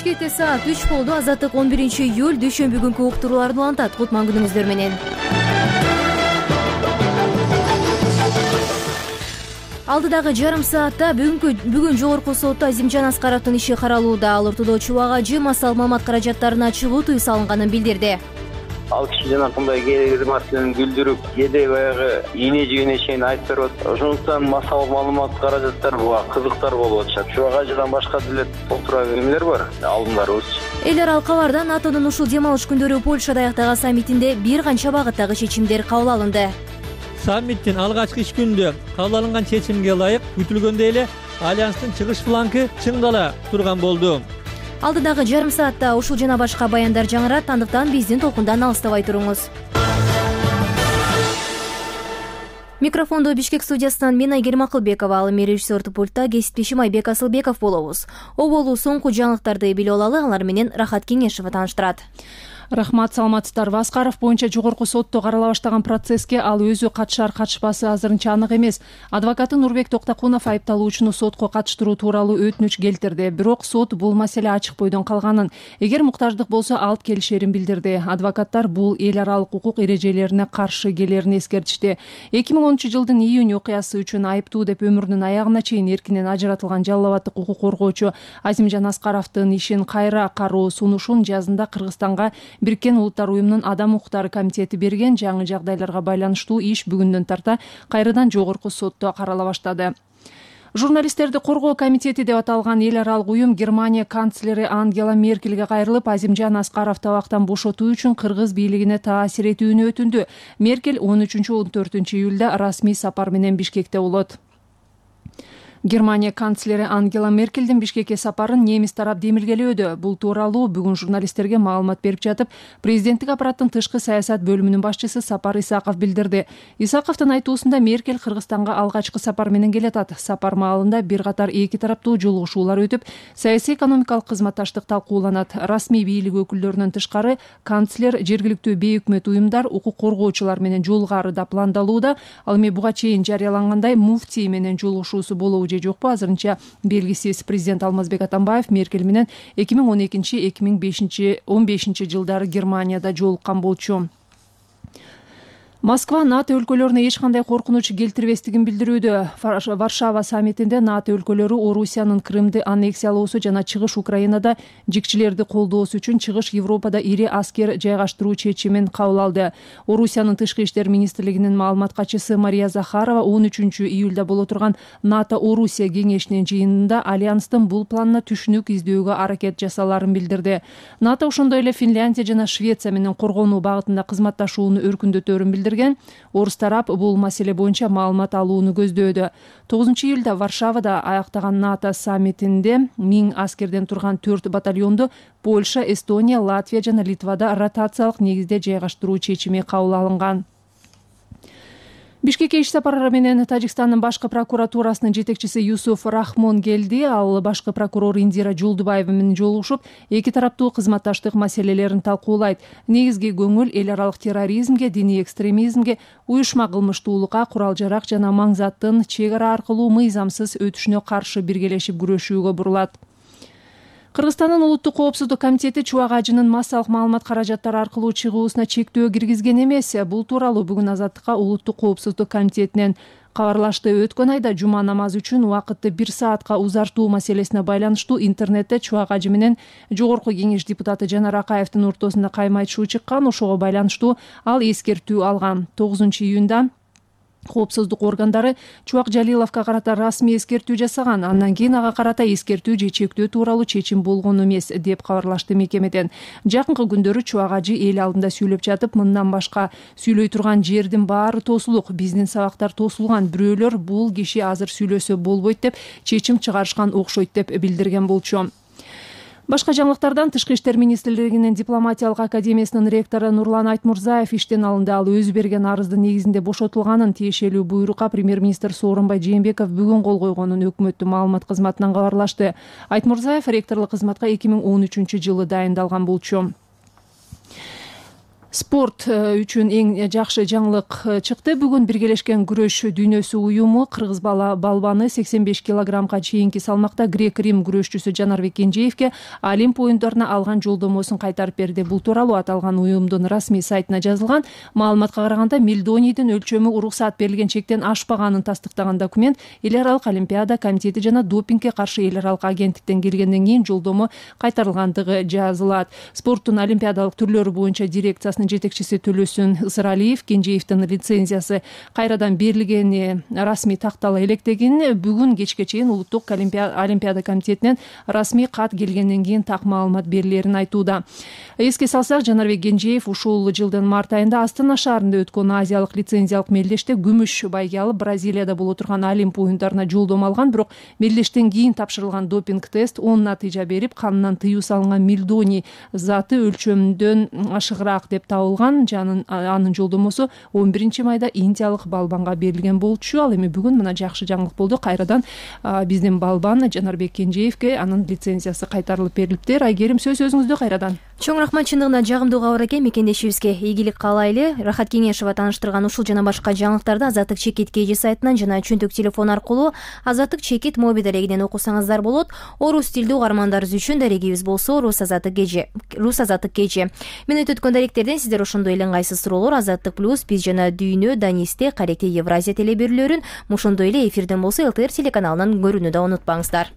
Бишкекте саат 3 болду. Азаттык 11-июль дүйшөмбү күнкү уктурууларды улантат. Кутман күнүңүздөр менен. Алдыдагы жарым саатта бүгүн жогорку сотто Азимжан Аскаровдун иши каралууда. Ал ортодо Чубак ажы массалык маалымат каражаттарына чыгуу тыюу салынганын билдирди. Ал киши жанакындай керектүү маселени билдирип, кээде баягы ийне жигине чейин айтып берип атат. Ошондуктан массалык маалымат каражаттары буга кызыктар болуп атышат. Чубак ажыдан башка деле толтура эмелер бар, алдымдарыбыз. Эл аралык кабарда НАТОнун ушул дем алыш күндөрү Польшада аяктаган саммитинде бир канча багыттагы чечимдер кабыл алынды. Саммиттин алгачкы иш күнүндө кабыл алынган чечимге ылайык күтүлгөндөй эле альянстын чыгыш флангы чыңдала турган болду. Алдыдагы жарым саатта ушул жана башка баяндар жаңырат, андыктан биздин толкундан алыстабай туруңуз. Микрофондо Бишкек студиясынан мен Айгерим Акылбекова, ал эми режиссердик пультта кесиптешим Айбек Асылбеков болобуз. Оболу соңку жаңылыктарды билип алалы, алар менен Рахат Кеңешева тааныштырат. Рахмат, саламатсыздарбы. Аскаров боюнча жогорку сотто карала баштаган процесске ал өзү катышар катышпасы азырынча анык эмес. Адвокаты Нурбек Токтокунов айыпталуучуну сотко катыштыруу тууралуу өтүнүч келтирди. Бирок сот бул маселе ачык бойдон калганын, эгер муктаждык болсо алып келишерин билдирди. Адвокаттар бул эл аралык укук эрежелерине каршы келерин эскертишти. 2010-жылдын июнь окуясы үчүн айыптуу деп өмүрүнүн аягына чейин эркинен ажыратылган жалал абаддык укук коргоочу Азимжан Аскаровдун ишин кайра кароо сунушун жазында Кыргызстанга Бириккен Улуттар уюмунун Адам укуктары комитети берген. Жаңы жагдайларга байланыштуу иш бүгүндөн тарта кайрадан жогорку сотто карала баштады. Журналисттерди коргоо комитети деп аталган эл аралык уюм Германия канцлери Ангела Меркельге кайрылып, Азимжан Аскаров табактан бошотуу үчүн кыргыз бийлигине таасир этүүнү өтүндү. Меркель 13-14 июлда расмий сапар менен Бишкекте болот. Германия канцлери Ангела Меркельдин Бишкекке сапарын немис тарап демилгелөөдө. Бул тууралуу бүгүн журналисттерге маалымат берип жатып, президенттик аппараттын тышкы саясат бөлүмүнүн башчысы Сапар Исаков билдирди. Исаковдун айтуусунда Меркель Кыргызстанга алгачкы сапар менен келатат. Сапар маалында бир катар эки тараптуу жолугушуулар өтүп, саясий экономикалык кызматташтык талкууланат. Расмий бийлик өкүлдөрүнөн тышкары канцлер жергиликтүү бейөкмөт уюмдар, укук коргоочулар менен жолугары да пландалууда. Ал эми буга чейин жарыялангандай муфтий менен жолугушуусу болобу жокпу азырынча белгисиз. Президент Алмазбек Атамбаев Меркель менен 2012-2015 жылдары Германияда жолуккан болчу. Москва НАТО өлкөлөрүнө эч кандай коркунуч келтирбестигин билдирүүдө. Варшава саммитинде НАТО өлкөлөрү Орусиянын Крымды аннексиялоосу жана чыгыш Украинада жикчилерди колдоосу үчүн чыгыш Европада ири аскер жайгаштыруу чечимин кабыл алды. Орусиянын тышкы иштер министрлигинин маалымат катчысы Мария Захарова 13-июлда боло турган НАТО-Орусия кеңешинин жыйынында альянстын бул планына түшүнүк издөөгө аракет жасаларын билдирди. НАТО ошондой эле Финляндия жана Швеция менен коргонуу багытында кызматташууну өркүндөтөөрүн билдирди. Орус тарап бул маселе боюнча маалымат алууну көздөөдө. 9-июлда Варшавада аяктаган НАТО саммитинде 1000 аскерден турган 4 батальонду Польша, Эстония, Латвия жана Литвада ротациялык негизде жайгаштыруу чечими кабыл алынган. Бишкекке иш сапары менен Тажикстандын башкы прокуратурасынын жетекчиси Юсуф Рахмон келди. Ал башкы прокурор Индира Жолдубаева менен жолугушуп, эки тараптуу кызматташтык маселелерин талкуулайт. Негизги көңүл эл аралык терроризмге, диний экстремизмге, уюшма кылмыштуулукка, курал-жарак жана маң заттын чек ара аркылуу мыйзамсыз өтүшүнө каршы биргелешип күрөшүүгө бурулат. Кыргызстандын улуттук коопсуздук комитети Чубак ажынын массалык маалымат каражаттары аркылуу чыгуусуна чектөө киргизген эмес. Бул тууралуу бүгүн Азаттыкка улуттук коопсуздук комитетинен кабарлашты. Өткөн айда жума намазы үчүн убакытты 1 саатка узартуу маселесине байланыштуу интернетте Чубак ажы менен жогорку кеңеш депутаты Жанар Акаевдин ортосунда кайма айтышуу чыккан. Ошого байланыштуу ал эскертүү алган. 9-июнда коопсуздук органдары Чубак Жалиловго карата расмий эскертүү жасаган. Андан кийин ага карата эскертүү же чектөө тууралуу чечим болгон эмес деп кабарлашты мекемеден. Жакынкы күндөрү Чубак ажы эл алдында сүйлөп жатып, мындан башка сүйлөй турган жердин баары тосулук, биздин сабактар тосулган, бирөөлөр бул киши азыр сүйлөсө болбойт деп чечим чыгарышкан окшойт деп билдирген болчу. Башка жаңылыктардан Тышкы иштер министрлигинин дипломатиялык академиясынын ректору Нурлан Айтмурзаев иштен алынды. Ал өзү берген арыздын негизинде бошотулганын, тиешелүү буйрукка премьер-министр Сооронбай Жээнбеков бүгүн кол койгонун өкмөттүн маалымат кызматынан кабарлашты. Айтмурзаев ректорлук кызматка 2013-жылы дайындалган болчу. Спорт үчүн эң жакшы жаңылык чыкты. Бүгүн Биргелешкен күрөш дүйнөсү уюму кыргыз балбаны 85 килограммга чейинки салмакта грек-рим күрөшчүсү Жанарбек Кенжеевке Олимп оюндарына алган жолдомосун кайтарып берди. Бул тууралуу аталган уюмдун расмий сайтына жазылган. Маалыматка караганда Мельдонийдин өлчөмү уруксаат берилген чектен ашпаганын тастыктаган документ Эл аралык олимпиада комитети жана допингге каршы эл аралык агенттиктен келгенден кийин жолдомо кайтарылгандыгы жазылат. Спорттун олимпиадалык түрлөрү боюнча дирекциясынын жетекчиси Төлөсүн Ысыралиев Кенжеевдин лицензиясы кайрадан берилгени расмий тактала электегин бүгүн кечке чейин улуттук олимпиада комитетинен расмий кат келгенден кийин так маалымат берилерин айтууда. Эске салсак, Жанарбек Кенжеев ушул жылдын март айында Астана шаарында өткөн азиялык лицензиялык мелдеште күмүш байге алып Бразилияда боло турган Олимп оюндарына жолдомо алган, бирок мелдештен кийин тапшырылган допинг тест оң натыйжа берип, канынан тыюу салынган мельдоний заты өлчөмдөн ашыгыраак деп табылган. Анын жолдомосу 11-майда индиялык балбанга берилген болчу. Ал эми бүгүн мына жакшы жаңылык болду. Кайрадан биздин балбан Жанарбек Кенжеевке анын лицензиясы кайтарылып берилиптир. Айгерим, сөз өзүңүздө кайрадан. Чоң рахмат, чындыгында жагымдуу кабар экен. Мекендешибизге ийгилик каалайлы. Рахат Кеңешова тааныштырган ушул жана башка жаңылыктарды Азаттык чекит KG сайтынан жана чөнтөк телефон аркылуу Азаттык чекит мобил дарегинен окусаңыздар болот. Орус тилдүү угармандарыбыз үчүн дарегибиз болсо Рус Азаттык KG. Мен өткөн даректерден сиздер ошондой эле ыңгайсыз суроолор Азаттык плюс, биз жана дүйнө, Данисте, Каректе, Евразия телеберүүлөрүн, ошондой эле эфирден болсо ЛТР телеканалынан көрүүнү да унутпаңыздар.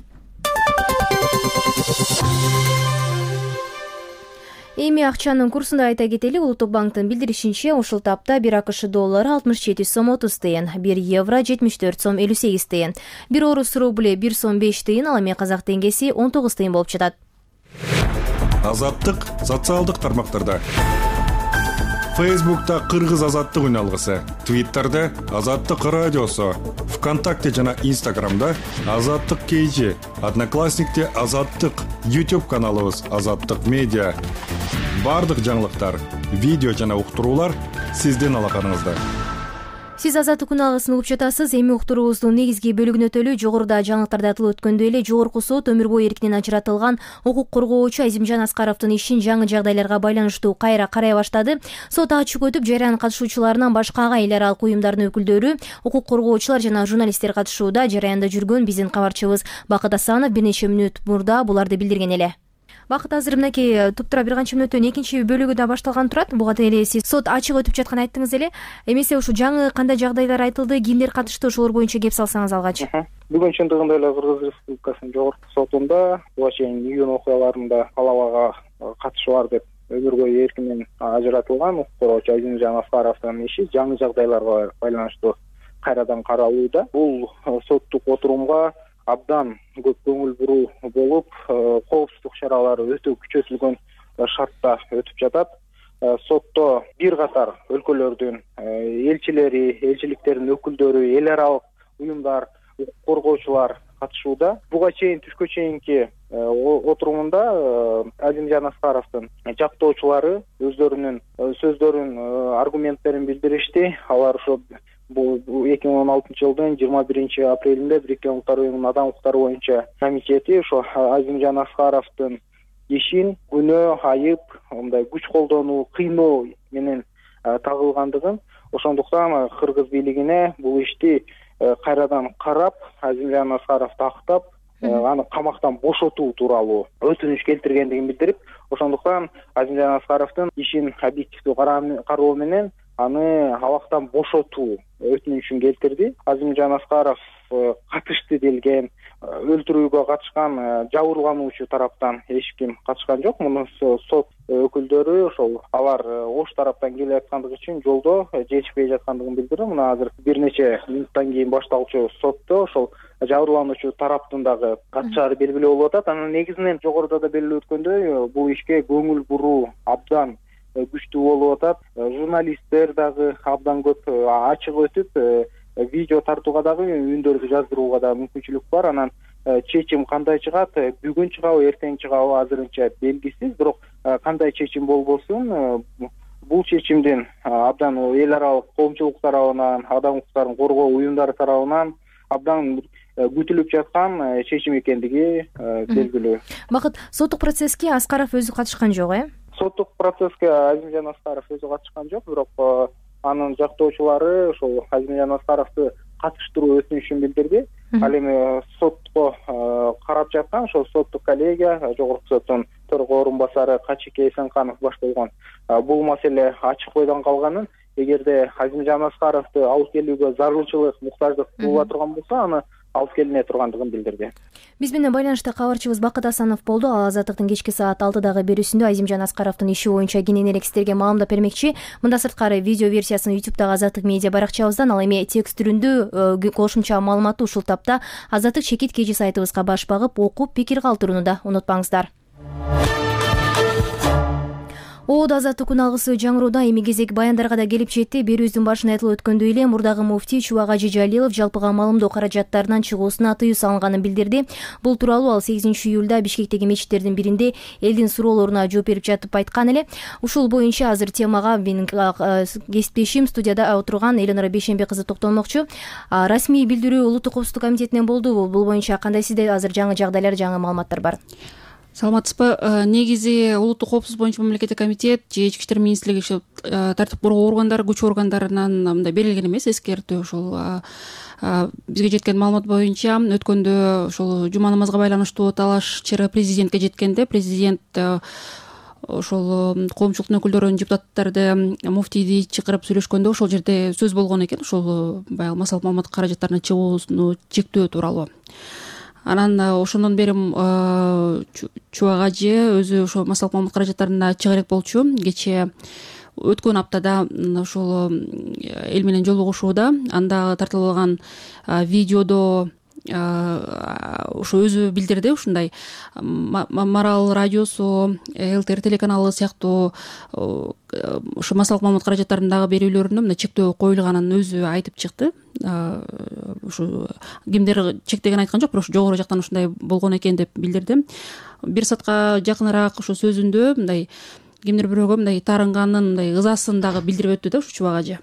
Эми акчанын курсунда айта кетели, Улуттук банктын билдиришинче, ушул тапта 1 АКШ доллары 67 сом 30 тыйын, 1 евро 74 сом 58 тыйын, 1 орус рубли 1 сом 5 тыйын, ал эми казак теңгеси 19 тыйын болуп жатат. Азаттык социалдык тармактарда. Фейсбукта Кыргыз азаттык үн алгысы, Твиттерде Азаттык радиосу, ВКонтакте жана Инстаграмда Азаттык KG, Одноклассникте Азаттык, YouTube каналыбыз Азаттык медиа. Бардык жаңылыктар, видео жана уктуруулар сиздин алаканыңызда. Сиз Азаттык күн алгысын угуп жатасыз. Эми уктуруубуздун негизги бөлүгүнө өтөлү. Жогоруда жаңылыктарда айтылып өткөндөй эле Жогорку сот өмүр бою эркинен ажыратылган укук коргоочу Азимжан Аскаровдун ишин жаңы жагдайларга байланыштуу кайра карай баштады. Сот ачык өтүп, жаран катышуучуларынан башка эл аралык уюмдардын өкүлдөрү, укук коргоочулар жана журналисттер катышууда. Жараянда жүргөн биздин кабарчыбыз Бакыт Асанов бир нече мүнөт мурда буларды билдирген эле. Бакыт, азыр мынакей туптура бир канча мүнөттөн экинчи бөлүгү да башталган турат. Буга эле сиз сот ачык өтүп жатканын айттыңыз эле. Эмесе ушу жаңы кандай жагдайлар айтылды, кимдер катышты, ошолор боюнча кеп салсаңыз алгач. Бүгүн чындыгында эле Кыргыз Республикасынын жогорку сотунда буга чейин июнь окуяларында талабага катышы бар деп өмүр бою эркинен ажыратылган укук коргоочу Азимжан Аскаровдун иши жаңы жагдайларга байланыштуу кайрадан каралууда. Бул соттук отурумга абдан көп көңүл буруу болуп, коопсуздук чаралары өтө күчөтүлгөн шартта өтүп жатат. Сотто бир катар өлкөлөрдүн элчилери, элчиликтердин өкүлдөрү, эл аралык уюмдар, укук коргоочулар катышууда. Буга чейин түшкө чейинки отурумунда Азимжан Аскаровдун жактоочулары өздөрүнүн сөздөрүн, аргументтерин билдиришти. Алар ошо бул 2016 жылдын 21 апрелинде Бириккен Улуттар Уюмунун адам укуктары боюнча комитети ошо Азимжан Аскаровдун ишин күнөө, айып, мындай күч колдонуу, кыйноо менен тагылгандыгын, ошондуктан кыргыз бийлигине бул ишти кайрадан карап, Азимжан Аскаровду актап, аны камактан бошотуу тууралуу өтүнүч келтиргендигин билдирип, ошондуктан Азимжан Аскаровдун ишин объективдүү кароо менен аны абактан бошотуу өтүнүчүн келтирди. Азимжан Аскаров катышты делген, өлтүрүүгө катышкан жабырлануучу тараптан эч ким катышкан жок. Муну сот өкүлдөрү ошол алар ош тараптан келип аткандыгы үчүн жолдо жетишпей жаткандыгын билдирди. Мына азыр бир нече минуттан кийин башталчу сотто ошол жабырлануучу тараптын дагы катышаары белгилүү болуп атат. Анын негизинен жогоруда да белгилүү өткөндөй, бул ишке көңүл буруу абдан күчтүү болуп атат. Журналисттер дагы абдан көп ачык өтүп, видео тартууга дагы, үндөрдү жаздырууга да мүмкүнчүлүк бар. Анан чечим кандай чыгат, бүгүн чыгабы, эртең чыгабы азырынча белгисиз. Бирок кандай чечим болбосун, бул чечимдин абдан эл аралык коомчулук тарабынан, адам укуктарын коргоо уюмдары тарабынан абдан күтүлүп жаткан чечим экендиги белгилүү. Бакыт, соттук процесске Аскаров өзү катышкан жок, соттук процесске Азимжан Аскаров өзү катышкан жок, бирок анын жактоочулары ошол Азимжан Аскаровду катыштыруу өтүнүшүн билдирди. Ал эми сотко карап жаткан ошол соттук коллегия, жогорку соттун төрага орун басары Качике Эсенканов башталган бул маселе ачык бойдон калганын, эгерде Азимжан Аскаровду алып келүүгө зарылчылык, муктаждык болуп турган болсо, аны алып келине тургандыгын билдирди. Биз менен байланышта кабарчыбыз Бакыт Асанов болду. Ал Азаттыктын кечки саат 6дагы берүүсүндө Азимжан Аскаровдун иши боюнча кененирээк сиздерге маалымдап бермекчи. Мында сырткары видео версиясын YouTube'дагы Азаттык медиа баракчабыздан, ал эми текст түрүндө кошумча маалыматты ушул тапта Азаттык Чекит KG сайтыбызга баш багып, окуп, пикир калтырууну да унутпаңыздар. Оод азаттык күн алгысы жаңырууда эми кезек баяндарга да келип жетти. Берүүбүздүн башында айтылып өткөндөй эле мурдагы муфтий Чубак Ажи Жалилов жалпыга маалымдоо каражаттарынан чыгуусуна тыюу салынганын билдирди. Бул тууралуу ал 8-июлда Бишкектеги мечиттердин биринде элдин суроолоруна жооп берип жатып айткан эле. Ушул боюнча азыр темага менин кесиптешим студияда отурган Элинора Бейшембе кызы токтолмокчу. Расмий билдирүү Улуттук коопсуздук комитетинен болду. Бул боюнча кандай сизде азыр жаңы жагдайлар, жаңы маалыматтар бар? Саламатсызбы. Негизи Улуттук коопсуздук боюнча мамлекеттик комитет же Ички иштер министрлиги ошол тартип коргоо органдары, күч органдарынан мындай берилген эмес эскертүү. Ошол бизге жеткен маалымат боюнча өткөндө ошол жума намазга байланыштуу талаш чыры президентке жеткенде президент ошол коомчулуктун өкүлдөрүн, депутаттарды, муфтийди чакырып сүйлөшкөндө ошол жерде сөз болгон экен. Ошол баягы массалык маалымат каражаттарына чыгуусуну чектөө тууралуу. Анан ошондон бери Чубак Ажи өзү ошол массалык маалымат каражаттарына чыга элек болчу. Кечээ өткөн аптада ошол эл менен жолугушууда анда тартылып алган видеодо ошо өзү билдирди, ушундай Марал радиосу, ЛТР телеканалы сыяктуу ошо массалык маалымат каражаттарындагы берүүлөрүнө мындай чектөө коюлганын өзү айтып чыкты. Ушу кимдер чектеген айткан жок, бирок ошо жогору жактан ушундай болгон экен деп билдирди. Бир саатка жакыныраак ошо сөзүндө мындай кимдир бирөөгө мындай таарынганын, мындай ызасын дагы билдирип өттү да ушу Чубак Ажи.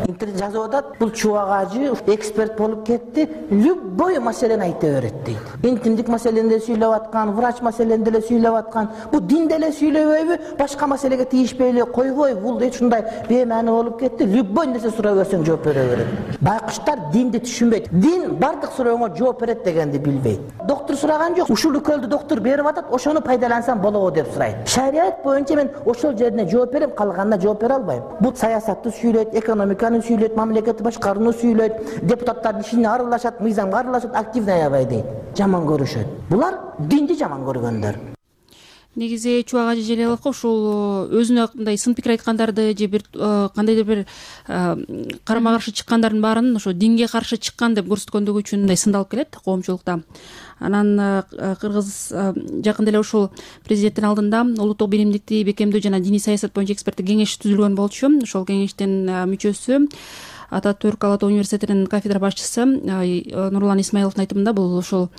Интернет жазып атат, бул Чубак Ажи эксперт болуп кетти, любой маселени айта берет дейт. Интимдик маселени деле сүйлөп аткан, врач маселени деле сүйлөп аткан. Бул дин деле сүйлөбөйбү, башка маселеге тийишпей эле койбой, бул ушундай беймаани болуп кетти. Любой нерсе сурап берсең жооп бере берет. Байкуштар динди түшүнбөйт. Дин бардык сурооңо жооп берет дегенди билбейт. Доктор сураган жок, ушул уколду доктор берип атат, ошону пайдалансам болобу деп сурайт. Шарият боюнча мен ошол жерине жооп берем, калганына жооп бере албайм. Бул саясатты сүйлөйт, экономика сүйлөйт, мамлекетти башкарууну сүйлөйт, депутаттардын ишине аралашат, мыйзамга аралашат, активный аябай дейт. Жаман көрүшөт. Булар динди жаман көргөндөр. Негизи Чубак Ажи Жалиловго ушул өзүнө мындай сын пикир айткандарды же бир кандайдыр бир карама каршы чыккандардын баарын ошо динге каршы чыккан деп көрсөткөндүгү үчүн мындай сындалып келет коомчулукта. Анан кыргыз жакында эле ушул президенттин алдында улуттук биримдикти бекемдөө жана диний саясат боюнча эксперттик кеңеш түзүлгөн болчу. Ошол кеңештин мүчөсү Ататүрк Ала Тоо университетинин кафедра башчысы Нурлан Исмаиловдун айтымында бул ошол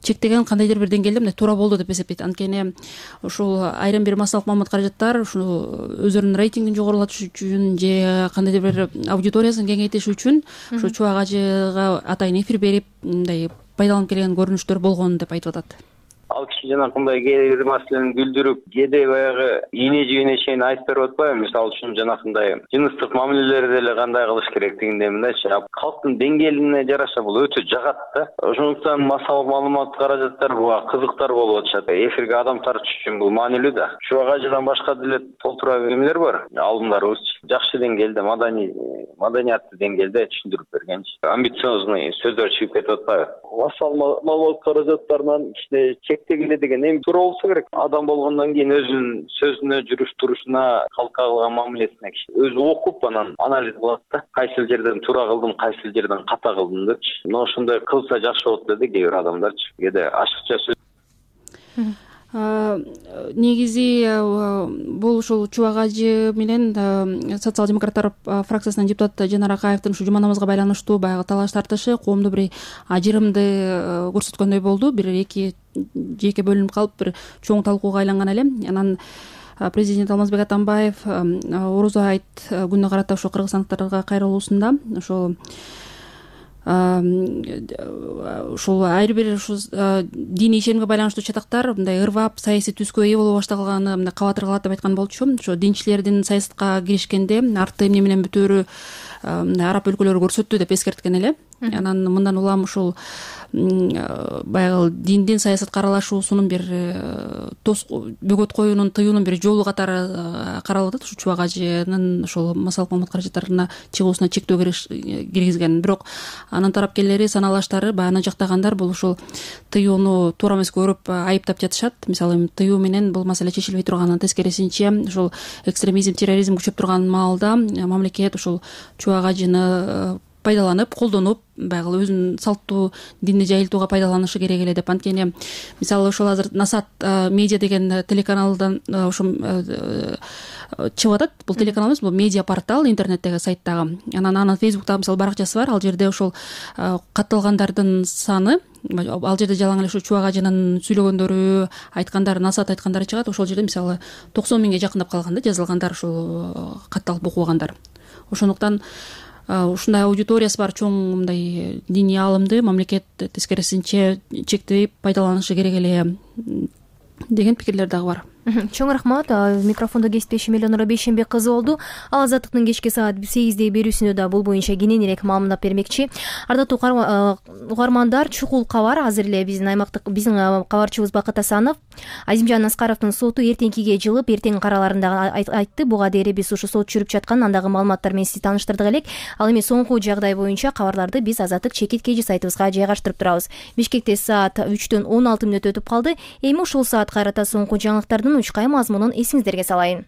чектеген кандайдыр бир деңгээлде мындай туура болду деп эсептейт. Анткени ушул айрым бир массалык маалымат каражаттар ушу өзүнүн рейтингин жогорулатыш үчүн же кандайдыр бир аудиториясын кеңейтиш үчүн ушу Чубак Ажыга атайын эфир берип мындай пайдаланып келген көрүнүштөр болгон деп айтып атат. Ал киши жанакындай кээ бир маселени күлдүрүп, кээде баягы ийне жибине чейин айтып берип атпайбы? Мисалы үчүн жанакындай жыныстык мамилелерди деле кандай кылыш керектигинде мындайчы. Калктын деңгээлине жараша бул өтө жагат да. Ошондуктан массалык маалымат каражаттар буга кызыктар болуп атышат. Эфирге адам тартыш үчүн бул маанилүү да. Чубак Ажыдан башка деле толтура эмелер бар. Алымдарыбыз жакшы деңгээлде, маданиятты деңгээлде түшүндүрүп берген. Амбициозный сөздөр чыгып кетип атпайбы? Массалык маалымат каражаттарынан кичине чектегиле деген эми туура болсо керек. Адам болгондон кийин өзүнүн сөзүнө, жүрүш турушуна, калкка кылган мамилесине өзү окуп анан анализ кылат да. Кайсыл жерден туура кылдым, кайсыл жерден ката кылдым депчи. Мына ошондой кылса жакшы болот деди кээ бир адамдарчы. Кээде ашыкча сөз. Негизи бул ушул Чубак Ажы менен социал демократтар фракциясынын депутаты Жанар Акаевдин ушу жума намазга байланыштуу баягы талаш тартышы коомдо бир ажырымды көрсөткөндөй болду. Бир эки жеке бөлүнүп калып бир чоң талкууга айланган эле. Анан президент Алмазбек Атамбаев Орозо айт күнүнө карата ошо кыргызстандыктарга кайрылуусунда ошол ушул ар бир ушу диний ишенимге байланыштуу чатактар мындай ырвап саясий түскө ээ боло башталганы мындай кабатыр айткан болчу. Ошо динчилердин саясатка киришкенде арты эмне менен бүтөөрү араб өлкөлөрү көрсөттү деп эскерткен эле. Анан мындан улам ушул баягы диндин саясатка аралашуусунун бир бөгөт коюунун тыюунун бир жолу катары каралып атат. Ушу Чубак ажынын ошол массалык маалымат каражаттарына чыгуусуна чектөө киргизген. Бирок анын тарапкерлери саналаштары баягы аны жактагандар бул ушул тыюуну туура эмес көрүп айыптап жатышат. Мисалы эми тыюу менен бул маселе чечилбей турганын тескерисинче ушул экстремизм, терроризм күчөп турган маалда мамлекет ушул Чубак ажыны пайдаланып, колдонуп, баягы өзүнүн салттуу динди жайылтууга пайдаланышы керек эле деп. Анткени мисалы ошол азыр Насат медиа деген телеканалдан ошо чыгып атат. Бул телеканал эмес, бул медиа портал, интернеттеги сайттагы. Анан анын Фейсбукта мисалы баракчасы бар. Ал жерде ошол катталгандардын саны, ал жерде жалаң эле ушу Чубак ажынын сүйлөгөндөрү, айткандары, насаат айткандары чыгат. Ошол жерде мисалы 90 миңге жакындап калган да жазылгандар, ушул катталып окугандар. Ошондуктан ушундай аудиториясы бар чоң мындай диний аалымды мамлекет тескерисинче чектеп пайдаланышы керек эле деген пикирлер дагы бар. Чоң рахмат. Микрофондо кесиптешим Элеонора Бейшенбек кызы болду. Ал Азаттыктын кечки саат 8-де берүүсүндө да бул боюнча кененирээк маалымат бермекчи. Ардактуу угармандар, чукул кабар азыр эле биздин кабарчыбыз Бакыт Асанов Азимжан Аскаровдун соту эртеңкиге жылып, эртең караларында айтты. Буга дейин биз ушу сот жүрүп жаткан андагы маалыматтар менен сизди тааныштырдык элек. Ал эми соңку жагдай боюнча кабарларды биз Азаттык чекит KG сайтыбызга жайгаштырып турабыз. Бишкекте саат 3-төн 16 мүнөт өтүп калды. Эми ушул саат кайрата соңку жаңылыктардын учкай мазмунун эсиңиздерге салайын.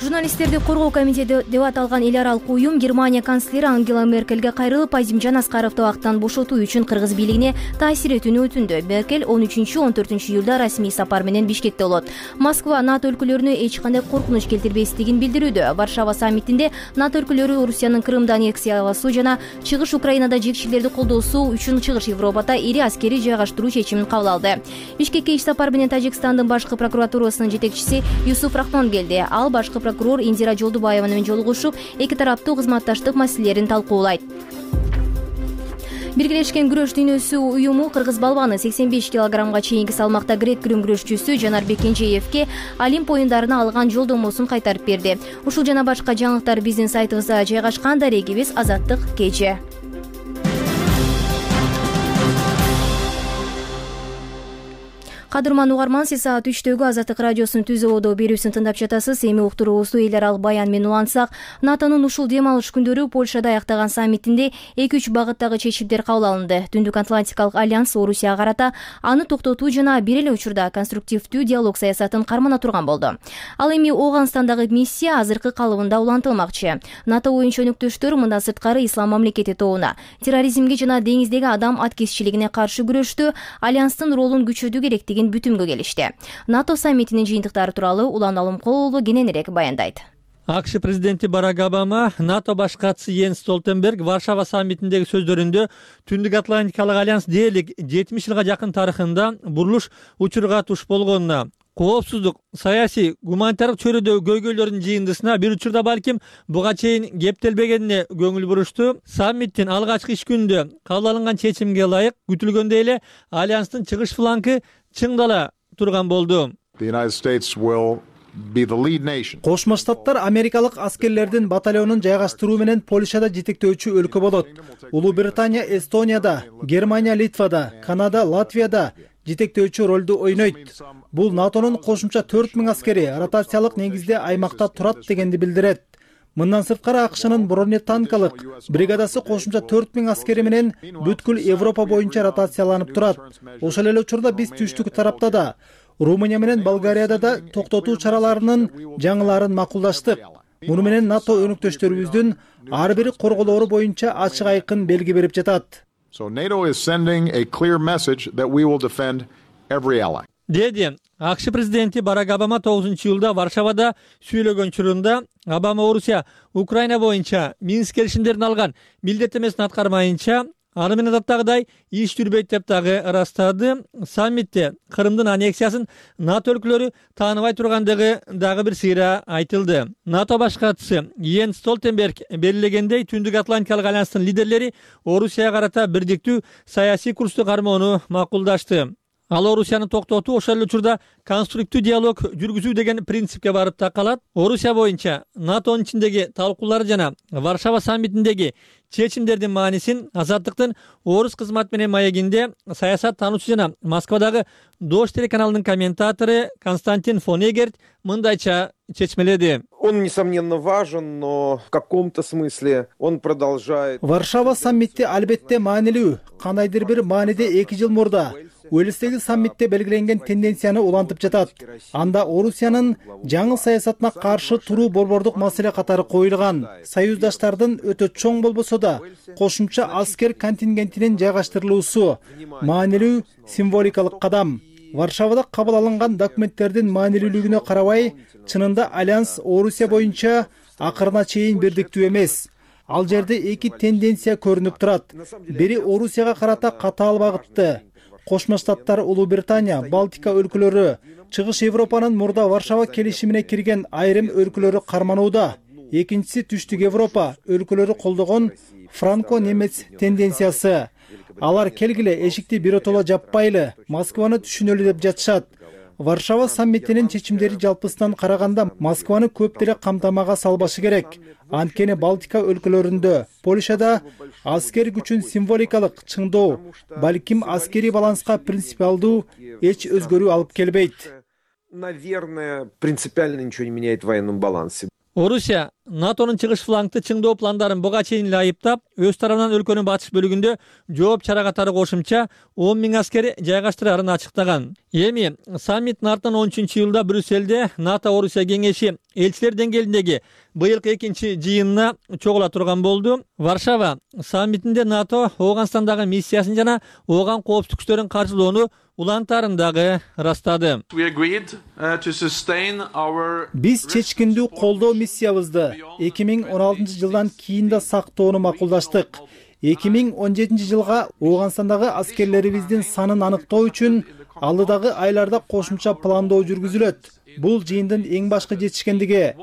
Журналисттерди коргоо комитети деп аталган эл аралык уюм Германия канцлери Ангела Меркельге кайрылып, Азимжан Аскаровду абактан бошотуу үчүн кыргыз бийлигине таасир этүүнү өтүндү. Меркель 13-14 июлда расмий сапар менен Бишкекте болот. Москва НАТО өлкөлөрүнө эч кандай коркунуч келтирбестигин билдирүүдө. Варшава саммитинде НАТО өлкөлөрү Орусиянын Крымды аннексиялоосу жана Чыгыш Украинада жекчилерди колдоосу үчүн Чыгыш Европада ири аскери жайгаштыруу чечимин кабыл алды. Бишкекке иш сапар менен Тажикстандын башкы прокуратурасынын жетекчиси Юсуф Рахмон келди. Ал башкы прокурор Индира Жолдубаева менен жолугушуп, эки тараптуу кызматташтык маселелерин талкуулайт. Биргелешкен күрөш дүйнөсү уюму кыргыз балбаны 85 килограммга чейинки салмакта грек-рим күрөшчүсү Жанарбек Кенжеевке Олимп оюндарына алган жолдомосун кайтарып берди. Ушул жана башка жаңылыктар биздин сайтыбызда жайгашкан. Дарегибиз Азаттык KG. Кадырман угарман, сиз саат 3-төгү Азаттык радиосунун түз ободо берүүсүн тыңдап жатасыз. Эми уктуруубузду эл аралык баян менен улантсак, НАТОнун ушул дем алыш күндөрү Польшада аяктаган саммитинде 2-3 багыттагы чечимдер кабыл алынды. Түндүк Атлантикалык альянс Орусияга карата аны токтотуу жана бир эле учурда конструктивдүү диалог саясатын кармана турган болду. Ал эми Ооганстандагы миссия азыркы калыбында улантылмакчы. НАТО боюнча өнөктөштөр мындан сырткары ислам мамлекети тобуна, терроризмге жана деңиздеги адам аткезчилигине каршы күрөштү альянстын ролун күчөтүү керектиги бүтүмгө келишти. НАТО саммитинин жыйынтыктары тууралуу Улан Алымкулов кененирээк баяндайт. АКШ президенти Барак Обама НАТО баш катчысы Йенс Столтенберг Варшава саммитиндеги сөздөрүндө Түндүк Атлантикалык альянс дээрлик 70 жылга жакын тарыхында бурулуш учурга туш болгонуна, коопсуздук, саясий, гуманитардык чөйрөдөгү көйгөйлөрдүн жыйындысына бир учурда балким буга чейин кептелбегенине көңүл бурушту. Саммиттин алгачкы иш күнүндө кабыл алынган чечимге ылайык күтүлгөндөй эле альянстын чыгыш флангы чыңдала турган болду. Кошмо Штаттар америкалык аскерлердин батальонун жайгаштыруу менен Польшада жетектөөчү өлкө болот. Улуу Британия Эстонияда, Германия Литвада, Канада Латвияда жетектөөчү ролду ойнойт. Бул НАТОнун кошумча 4000 аскери ротациялык негизде аймакта турат дегенди билдирет. Мындан сырткары АКШнын бронетанкалык бригадасы кошумча 4000 аскери менен бүткүл Европа боюнча ротацияланып турат. Ошол эле учурда биз түштүк тарапта да, Румыния менен Болгарияда да токтотуу чараларынын жаңыларын макулдаштык. Муну менен НАТО өнөктөштөрүбүздүн ар бир корголоору боюнча ачык айкын белги берип жатат. Деди АКШ президенти Барак Обама 9-июлда Варшавада сүйлөгөн чурунда Обама Орусия Украина боюнча Минск келишимдерин алган милдеттемесин аткармайынча аны менен даттагыдай иш жүрбөйт деп дагы ырастады. Саммитте Крымдын аннексиясын НАТО өлкөлөрү тааныбай тургандыгы дагы бир сыйра айтылды. НАТО баш катчысы Йенс Столтенберг белгилегендей, Түндүк Атлантикалык альянстын лидерлери Орусияга карата бирдиктүү саясий курсту кармоону макулдашты. Ал Орусияны токтотуу, ошол эле учурда конструктив диалог жүргүзүү деген принципке барып такалат. Орусия боюнча НАТОнун ичиндеги талкуулар жана Варшава саммитиндеги чечимдердин маанисин Азаттыктын орус кызмат менен маегинде саясат таануучу жана Москвадагы Дождь телеканалынын комментатору Константин Фонегерт мындайча чечмеледи. Он, несомненно, важен, но в каком-то смысле он продолжает. Варшава саммити албетте маанилүү. Кандайдыр бир мааниде 2 жыл мурда Уэльстеги саммитте белгиленген тенденцияны улантып жатат. Анда Орусиянын жаңы саясатына каршы туруу борбордук маселе катары коюлган. Союздаштардын өтө чоң болбосо да кошумча аскер контингентинин жайгаштырылуусу маанилүү символикалык кадам. Варшавада кабыл алынган документтердин маанилүүлүгүнө карабай, чынында Альянс Орусия боюнча акырына чейин бирдиктүү эмес. Ал жерде 2 тенденция көрүнүп турат. Бири Орусияга карата катаал багытты. Кошмо Штаттар, Улуу Британия, Балтика өлкөлөрү, Чыгыш Европанын мурда Варшава келишимине кирген айрым өлкөлөрү карманууда. Экинчиси Түштүк Европа өлкөлөрү колдогон франко-немец тенденциясы. Алар келгиле эшикти биротоло жаппайлы, Москваны түшүнөлү деп жатышат. Варшава саммитинин чечимдери жалпысынан караганда Москваны көп деле камтамага салбашы керек. Анткени Балтика өлкөлөрүндө, Польшада аскер күчүн символикалык чыңдоо, балким аскери баланска принципиалдуу эч өзгөрүү алып келбейт. Наверное, принципиально ничего не меняет в военном балансе. Орусия НАТОнун чыгыш флангты чыңдоо пландарын буга чейин эле айыптап, өз тарабынан өлкөнүн батыш бөлүгүндө жооп чара катары кошумча 10 000 аскер жайгаштырарын ачыктаган. Эми саммиттин артынан 13-июлда Брюссельде НАТО Орусия кеңеши элчилер деңгээлиндеги быйылкы 2-чи жыйынына чогула турган болду. Варшава саммитинде НАТО Ооганстандагы миссиясын жана ооган коопсуздук күчтөрүн каржылоону улантарын дагы ырастады. Биз чечкиндүү колдоо миссиябызды 2016 жылдан кийин да сактоону макулдаштык. 2017 жылга Ооганстандагы аскерлерибиздин санын аныктоо үчүн алдыдагы айларда кошумча пландоо жүргүзүлөт. Бул жыйындын эң башкы жетишкендиги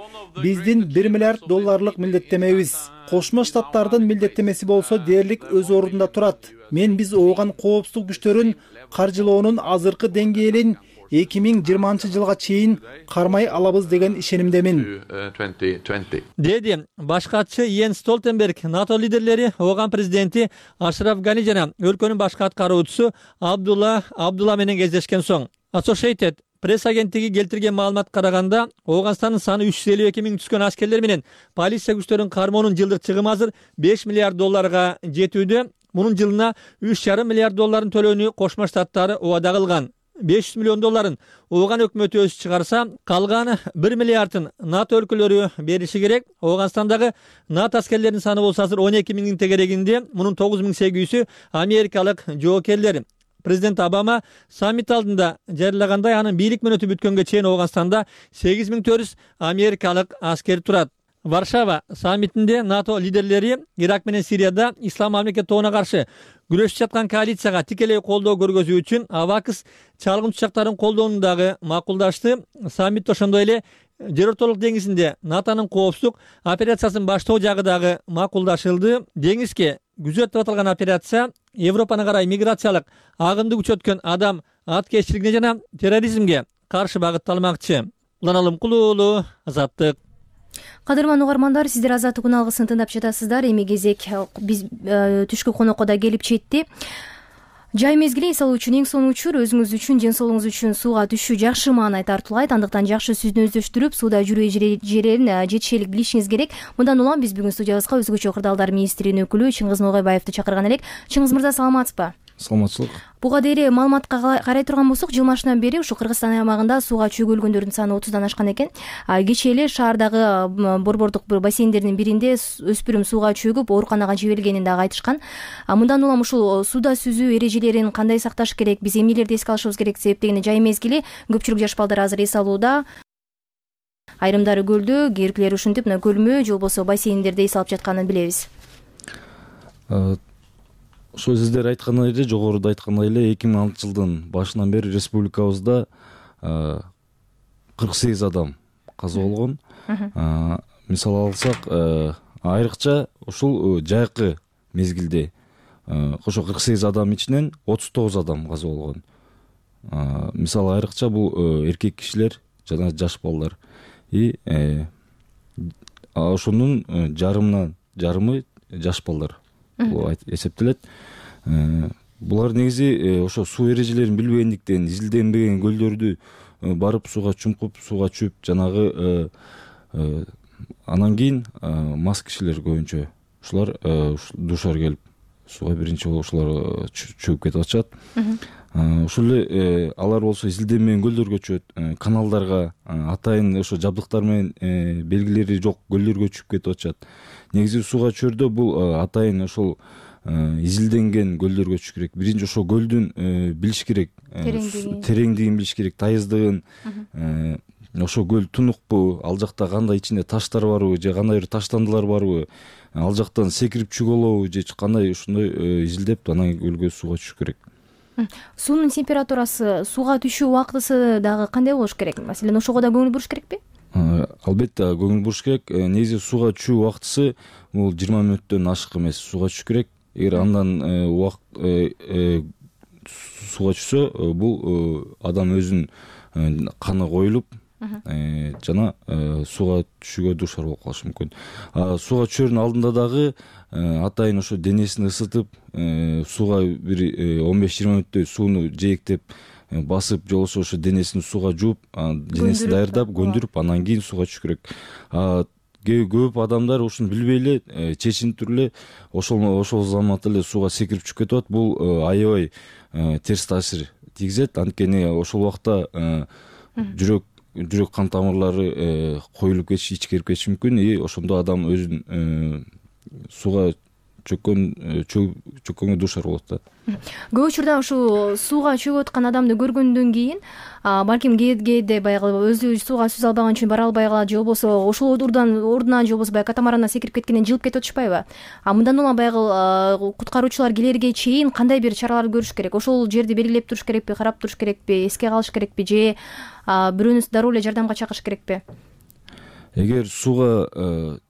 биздин $1 миллиард милдеттемебиз. Кошмо Штаттардын милдеттемеси болсо дээрлик өз ордунда турат. Биз ооган коопсуздук күчтөрүн каржылоонун азыркы деңгээлин 2020 жылга чейин кармай алабыз деген ишенимдемин. Деди баш катчы Йенс Столтенберг НАТО лидерлери ооган президенти Ашраф Гани жана өлкөнүн башкы аткаруучусу Абдулла менен кездешкен соң. Associated пресс агенттиги келтирген маалыматка караганда, Ооганстандын саны 352 000 түшкөн аскерлер менен полиция күчтөрүнүн кармоонун жылдык чыгымы азыр $5 миллиард жетүүдө. Мунун жылына $3,5 миллиард төлөөнү Кошмо Штаттары убада кылган. $500 миллион ооган өкмөтү өзү чыгарса, калган $1 миллиардын НАТО өлкөлөрү бериши керек. Ооганстандагы НАТО аскерлеринин саны болсо азыр 12 000 тегерегинде, мунун 9800-ü америкалык жоокерлер. Президент Обама саммит алдында жарыягандай, анын бийлик мөөнөтү бүткөнгө чейин Ооганстанда 8400 америкалык аскер турат. Варшава саммитинде НАТО лидерлери Ирак менен Сирияда ислам мамлекет тобуна каршы күрөшүп жаткан коалицияга тикелей колдоо көргөзүү үчүн Авакс чалгын учактарын колдоону дагы макулдашты. Саммитте ошондой эле Жер ортолук деңизинде НАТОнун коопсуздук операциясын баштоо жагы дагы макулдашылды. Деңизге күзөтүп аталган операция Европаны карай миграциялык агымды күчөткөн адам аткезчилигине жана терроризмге каршы багытталмакчы. Улан Алымкулуу, Азаттык. Кадырман угармандар, сиздер Азаттык күн алгысын тыңдап жатасыздар. Эми кезек биз түшкү конокко да келип жетти. Жай мезгили эс алуу үчүн эң сонун учур, өзүңүз үчүн, ден соолугуңуз үчүн сууга түшүү жакшы маанай тартуулайт. Андыктан жакшы сууну өздөштүрүп, сууда жүрүү жерин жетишелик билишиңиз керек. Мындан улам биз бүгүн студиябызга өзгөчө кырдаалдар министринин өкүлү Чыңгыз Ноогайбаевди чакырган элек. Чыңгыз мырза, саламатсызбы? Саламатчылык. Буга дейин маалыматка карай турган болсок, жыл башынан бери ушу Кыргызстан аймагында сууга чөгөлгөндөрдүн саны 30дан ашкан экен. Кечээ эле шаардагы борбордук бассейндердин биринде өспүрүм сууга чөгүп ооруканага жиберилгенин дагы айтышкан. Мындан улам ушул сууда сүзүү эрежелерин кандай сакташ керек, биз эмнелерди эске алышыбыз керек себептегени жай мезгили көпчүлүк жаш балдар азыр эс алууда. Айрымдары көлдө, кээбиркилери ушинтип көлмө же болбосо бассейндерде эс алып жатканын билебиз. ошо сиздер айткандай эле, жогоруда айткандай эле 2006 жылдын башынан бери республикабызда 48 адам каза болгон. Мисал алсак, айрыкча ушул жайкы мезгилде ошо 48 адам ичинен 39 адам каза болгон. Мисалы айрыкча бул эркек кишилер жана жаш балдар. Ошонун жарымы жаш балдар болуп эсептелет. Булар негизи ошо суу эрежелерин билбегендиктен, изилденбеген көлдөрдү барып сууга чумкуп, сууга чүп, жанагы анан кийин мас кишилер көбүнчө ушулар душар келип сууга биринчи болуп ушулар чөгүп кетип атышат. Ошол эле алар болсо изилденбеген көлдөргө чөгөт, каналдарга, атайын ошо жабдыктар менен белгилери жок көлдөргө чүгүп кетип атышат. Негизи сууга чөөрдө бул атайын ошол изилденген көлдөргө чүгүш керек. Биринчи ошо көлдүн билиш керек, тереңдигин билиш керек, тайыздыгын. Ошо көл тунукпу, ал жакта кандай ичинде таштар барбы, же кандай бир таштандылар барбы, ал жактан секирип чыга алабы, же кандай, ушундай изилдеп анан көлгө сууга түшүш керек. Суунун температурасы, сууга түшүү убактысы дагы кандай болуш керек? Маселен, ошого да көңүл буруш керекпи? Албетте көңүл буруш керек. Негизи сууга түшүү убактысы бул 20 мүнөттөн ашык эмес сууга түшүш керек. Эгер андан сууга түшсө, бул адам өзүнүн каны коюлуп, жана сууга түшүүгө душар болуп калышы мүмкүн. Сууга түшөрдүн алдында дагы атайын ошо денесин ысытып, сууга бир 15-20 мүнөттөй сууну жээктеп басып, же болбосо ошо денесин сууга жууп, денесин даярдап, көндүрүп, анан кийин сууга түшүш керек. Көп адамдар ушуну билбей эле, чечинтип эле ошол заматта эле сууга секирип чыгып кетип атат. Бул аябай терс таасир тийгизет. Анткени ошол убакта жүрөк кан тамырлары коюлуп кетиши, ичкерип кетиши мүмкүн. Ошондо адам өзүн сууга чөккөнгө душар болот да. Көп учурда ушул сууга чөгүп аткан адамды көргөндөн кийин балким кээде баягы өзү сууга сүзө албаган үчүн бара албай калат, же болбосо ошол ордунан же болбосо баягы катамарандан секирип кеткенден жылып кетип атышпайбы? Мындан улам баягы куткаруучулар келерге чейин кандай бир чараларды көрүш керек? Ошол жерди белгилеп туруш керекпи, карап туруш керекпи, эске калыш керекпи, же бирөөнү дароо эле жардамга чакырыш керекпи? Эгер сууга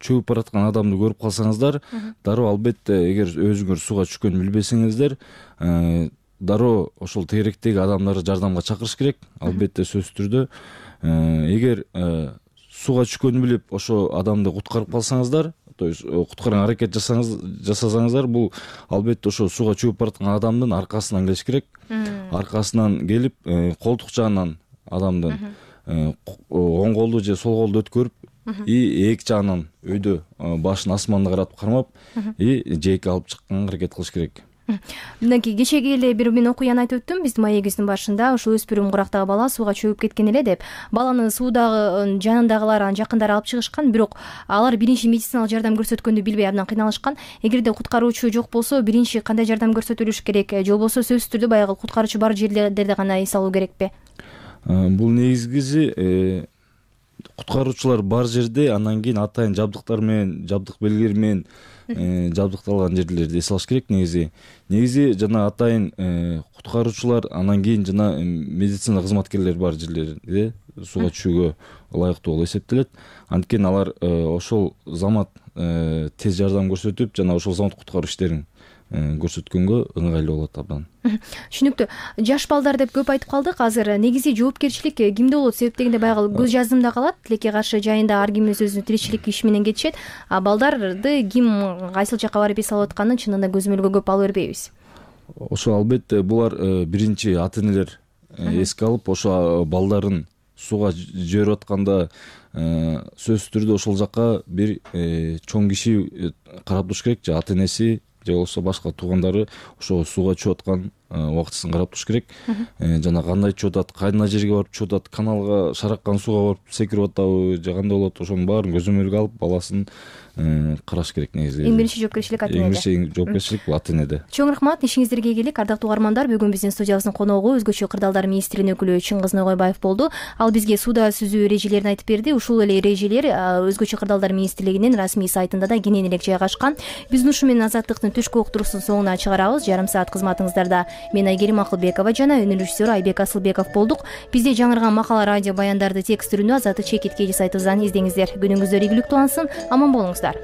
чөгүп бараткан адамды көрүп калсаңыздар, дароо албетте, эгер өзүңөр сууга түшкөнүн билбесеңиздер, дароо ошол тегеректеги адамдарды жардамга чакырыш керек, албетте сөзсүз түрдө. Эгер сууга түшкөнүн билип, ошо адамды куткарып калсаңыздар, то есть куткарган аракет жасасаңыздар, бул албетте ошо сууга чөгүп бараткан адамдын аркасынан келиш керек. Аркасынан келип, колтук жагынан адамдын оң колду же сол колду өткөрүп, эки жагынан өйдө башын асманды каратып кармап, жээкке алып чыкканга аракет кылыш керек. Мындан кийин кечеги эле бир мен окуяны айтып өттүм биздин маегибиздин башында, ошо өспүрүм курактагы бала сууга чөгүп кеткен эле деп. Баланы суудагы жанындагылар, анын жакындары алып чыгышкан, бирок алар биринчи медициналык жардам көрсөткөндү билбей абдан кыйналышкан. Эгерде куткаруучу жок болсо, биринчи кандай жардам көрсөтүлүш керек, же болбосо сөзсүз түрдө баягы куткаруучу бар жерлерде гана эс алуу керекпи? Бул негизи куткаруучулар бар жерде, анан кийин атайын жабдыктар менен, жабдык белгилери менен жабдыкталган жерлерди эс алыш керек. Негизи жана атайын куткаруучулар, анан кийин жана медицина кызматкерлери бар жерлерде сууга түшүүгө ылайыктуу болуп эсептелет. Анткени алар ошол замат тез жардам көрсөтүп, жана ошол замат куткаруу иштерин көрсөткөнгө ыңгайлуу болот абдан. Түшүнүктүү. Жаш балдар деп көп айтып калдык. Азыр негизи жоопкерчилик кимде болот? Себеп дегенде баягы көз жаздымда калат. Тилекке каршы жайында ар ким өзүнүн тиричилик иши менен кетишет. Балдарды ким кайсыл жакка барып эс алып атканын чынында көзөмөлгө көп ала бербейбиз. Ошо албетте булар биринчи ата энелер эске алып, ошо балдарын сууга жиберип атканда сөзсүз түрдө ошол жакка бир чоң киши карап туруш керек, же ата энеси, же болбосо башка туугандары ошо сууга чөгүп аткан убактысын карап туруш керек. Жана кандай чөгүп атат, кайдына жерге барып чөгүп атат, каналга шараккан сууга барып секирип атабы, же кандай болот, ошонун баарын көзөмөлгө алып, баласын караш керек негизи. Эң биринчи жоопкерчилик ата энеде. Эң биринчи жоопкерчилик бул ата энеде. Чоң рахмат, ишиңиздерге келик. Ардактуу угармандар, бүгүн биздин студиябыздын коногу Өзгөчө кырдаалдар министринин өкүлү Чыңгыз Ногойбаев болду. Ал бизге сууда сүзүү эрежелерин айтып берди. Ушул эле эрежелер Өзгөчө кырдаалдар министрлигинин расмий сайтында да кенен эле жайгашкан. Биз ушу менен Азаттыктын түшкү уктуруусунун соңуна чыгарабыз. Жарым саат кызматыңыздарда мен Айгерим Акылбекова жана өнөр режиссеру Айбек Асылбеков болдук. Бизде жаңырган макала, радио баяндарды текст түрүндө Азаттык чекит KG сайтыбыздан издеңиздер. Күнүңүздөр ийгиликтүү алсын, аман болуңуздар.